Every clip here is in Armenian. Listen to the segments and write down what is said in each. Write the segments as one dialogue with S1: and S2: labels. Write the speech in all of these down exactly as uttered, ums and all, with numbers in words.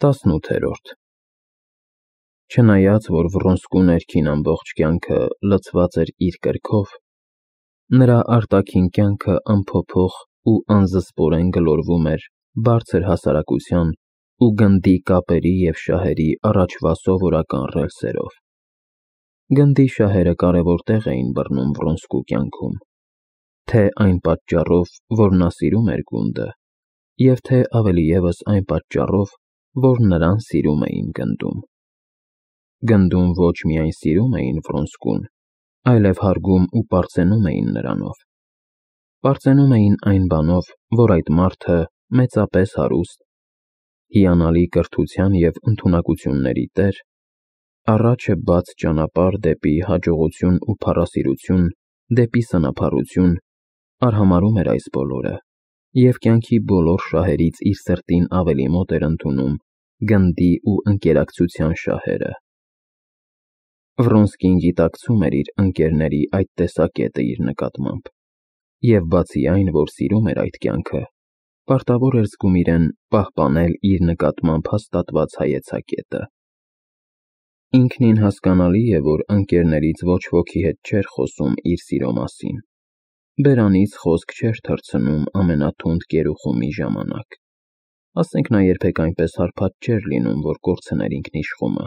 S1: Տասնութերորդ Չնայած, որ Վռոնսկու ներքին ամբողջ կյանքը լցված էր իր կրքով, նրա արտաքին կյանքը անփոփոխ ու անզսպորեն գլորվում էր բարձր հասարակության ու գնդի կապերի և շահերի առաջվա սովորական ռելսերով։ Գնդի շահերը կարևոր տեղ էին բռնում Վռոնսկու կյանքում, թե այն պատճառով, որ նա սիրում էր գունդը, և թե ավելի ևս այն պատճառով, որ նրան սիրում էին գնդում։ Գնդում ոչ միայն սիրում էին Վռոնսկուն, այլև հարգում ու պարծենում էին նրանով։ Պարծենում էին այն բանով, որ այդ մարդը մեծապես հարուստ, հիանալի կրթության և ընդունակությունների տեր, առաջ է բաց ճանապարհ դեպի հաջողություն ու փառասիրություն, դեպի սնափառություն, արհամարհում էր այս բոլորը և կյանքի բոլոր շահերից իր սրտին ավելի մոտ էր ընդունում գնդի ու ընկերակցության շահերը։ Վռոնսկին գիտակցում էր իր ընկերների այդ տեսակետը իր նկատմամբ և բացի այն, որ սիրում էր այդ կյանքը, պարտավոր էր զգում իրեն պահպանել իր նկատմամբ հաստատված հայեցակետը։ Ինքնին հասկանալի է, որ ընկերներից ոչ ոքի հետ չէր խոսում իր սիրո մասին, բերանից խոսք չէր թռցնում ամենաթունդ կերուխումի ժամանակ, ասենք նա երբեք այնպես հարբած չէր լինում, որ կորցներ ինքնիշխումը,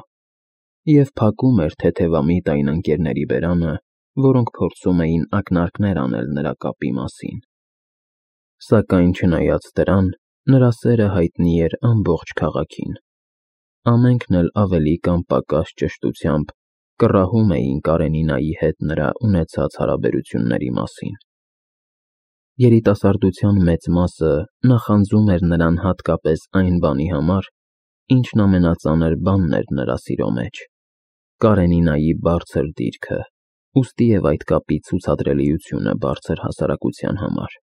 S1: և փակում էր թեթևամիտ այն ընկերների բերանը, որոնք փորձում էին ակնարկներ անել նրա կապի մասին։ Սակայն չնայած դրան, նրա սերը հայտնի էր ամբողջ քաղաքին։ Ամենքն էլ ավելի կամ պակաս ճշտությամբ կռահում էին Կարենինայի հետ նրա ունեցած հարաբերությունների մասին։ Երիտասարդության մեծ մասը նախանձում էր նրան հատկապես այն բանի համար, ինչն ամենածանր բանն էր նրա սիրո մեջ՝ Կարենինայի բարձր դիրքը, ուստի և այդ կապի ցուցադրելիությունը բարձր հասարակության համար։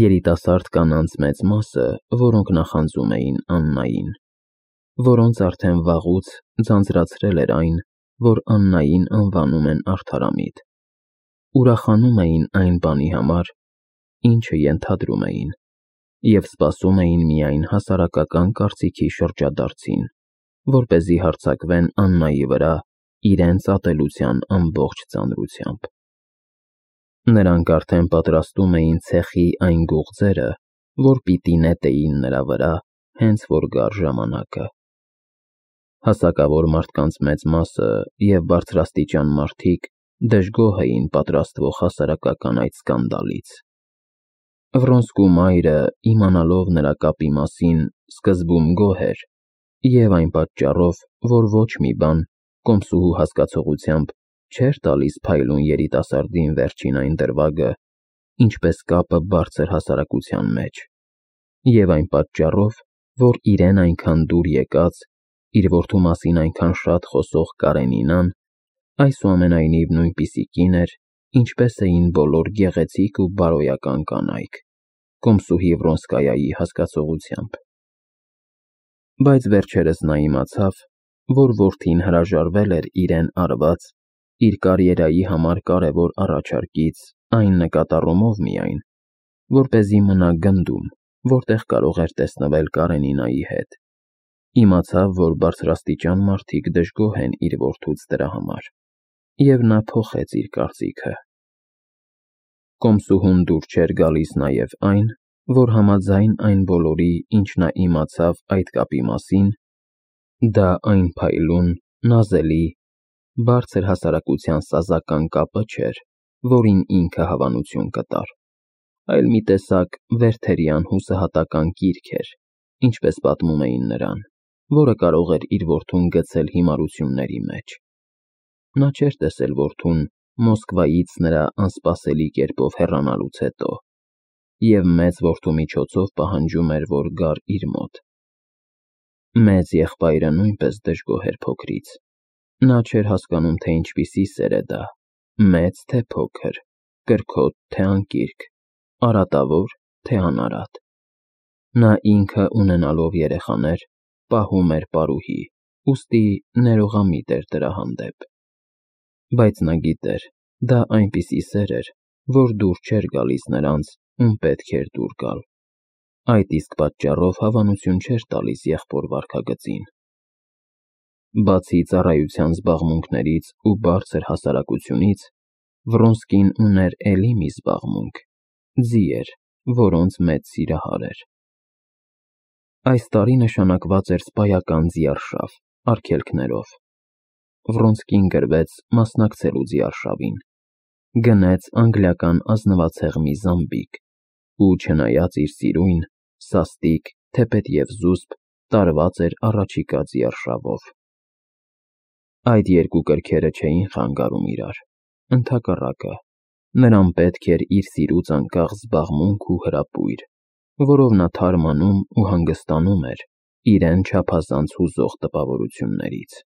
S1: Երիտասարդ կանանց մեծ մասը, որոնք նախանձում էին Աննային, որոնց արդեն վաղուց ձանձրացրել էր այն, որ Աննային անվանում են արդարամիտ, ուրախանում էին այն բանի համար, ինչը ենթադրում էին, և սպասում էին միայն հասարակական կարծիքի շրջադարձին, որպեսզի հարձակվեն Աննայի վրա իրենց ատելության ամբողջ ծանրությամբ։ Նրանք արդեն պատրաստում էին ցեխի այն գուղձերը, որ պիտի նետեին նրա վրա, հենց որ գար ժամանակը։ Հասակավոր մարդկանց մեծ մասը և բարձրաստիճան մարդիկ դժգոհ էին պատրաստվող հասարակական այդ սկանդալից։ Վռոնսկու մայրը, իմանալով նրա կապի մասին, սկզբում գոհ էր և այն պատճառով, որ ոչ մի բան, կոմսուհու հասկացողությամբ, չէր տալիս փայլուն երիտասարդին վերջին այն դրվագը, ինչպես կապը բարձր հասարակության մեջ, և այն պատճառով, որ իրեն այնքան դուր եկած, իր որդու մասին այնքան շատ խոսող Կարենինան այսուամենայնիվ նույնպիսի կին էր, ինչպես էին բոլոր գեղեցիկ ու բարոյական կանայք, կոմսուհի Վռոնսկայայի հասկացողությամբ։ Բայց վերջերս նա իմացավ, որ որդին հրաժարվել էր իրեն արված, իր կարիերայի համար կարևոր առաջարկից այն նկատառումով միայն, որպեսզի մնա գնդում, որտեղ կարող էր տեսնվել Կարենինայի հետ։ Իմացավ, որ բարձրաստիճան մարդիկ դժգոհ են իր որդուց դրա համար, և նա փոխեց իր կարծիքը։ Կոմսուհուն դուր չէր գալիս նաև այն, որ համաձայն այն բոլորի, ինչ նա իմացավ այդ կապի մասին, դա այն փայլուն, նազելի, բարձր հասարակության սազական կապը չէր, որին ինքը հավանություն կտար, այլ մի տեսակ Վերթերյան հուսահատական կիրք էր, ինչպես պատմում էին նրան, որը կարող էր իր որդուն գցել հիմարությունների մեջ։ Նա չէր տեսել որդուն Մոսկվայից նրա անսպասելի կերպով հեռանալուց հետո և մեծ որդու միջոցով պահանջում էր, որ գար իր մոտ։ Մեծ եղբայրը նույնպես դժգոհ էր փոքրից։ Նա չէր հասկանում, թե ինչպիսի սեր է դա՝ մեծ, թե փոքր, կրքոտ, թե անկիրք, արատավոր, թե անարատ։ Նա ինքը, ունենալով երեխաներ, պահում էր պարուհի, ուստի ներողամիտ էր դրա հանդեպ։ Բայց նա գիտեր, դա այնպիսի սեր էր, որ դուր չէր գալիս նրանց, ում պետք էր դուր գալ։ Այդ իսկ պատճառով հավանություն չէր տալիս եղբոր վարքագծին։ Բացի ծառայության զբաղմունքներից ու բարձր հասարակությունից, Վռոնսկին ուներ էլի մի զբաղմունք՝ ձիեր, որոնց մեծ սիրահար էր։ Այս տարի նշանակված էր սպայական ձիարշավ՝ արգելքներով։ Վռոնսկին գրվեց մասնակցելու ձիարշավին, գնեց անգլիական ազնվացեղմի զամբիկ ու, չնայած իր սիրույն, սաստիկ, թեպետև զուսպ, տարված էր առաջիկա ձիարշավով։ Այդ երկու կրքերը չէին խանգարում իրար, ընդհակառակը, նրան պետք էր իր սիրուց անկախ զբաղմունք ու հրապույր, որով նա թարմանում ու հանգստանում էր իրեն չափազանց հուզող տպավորություններից։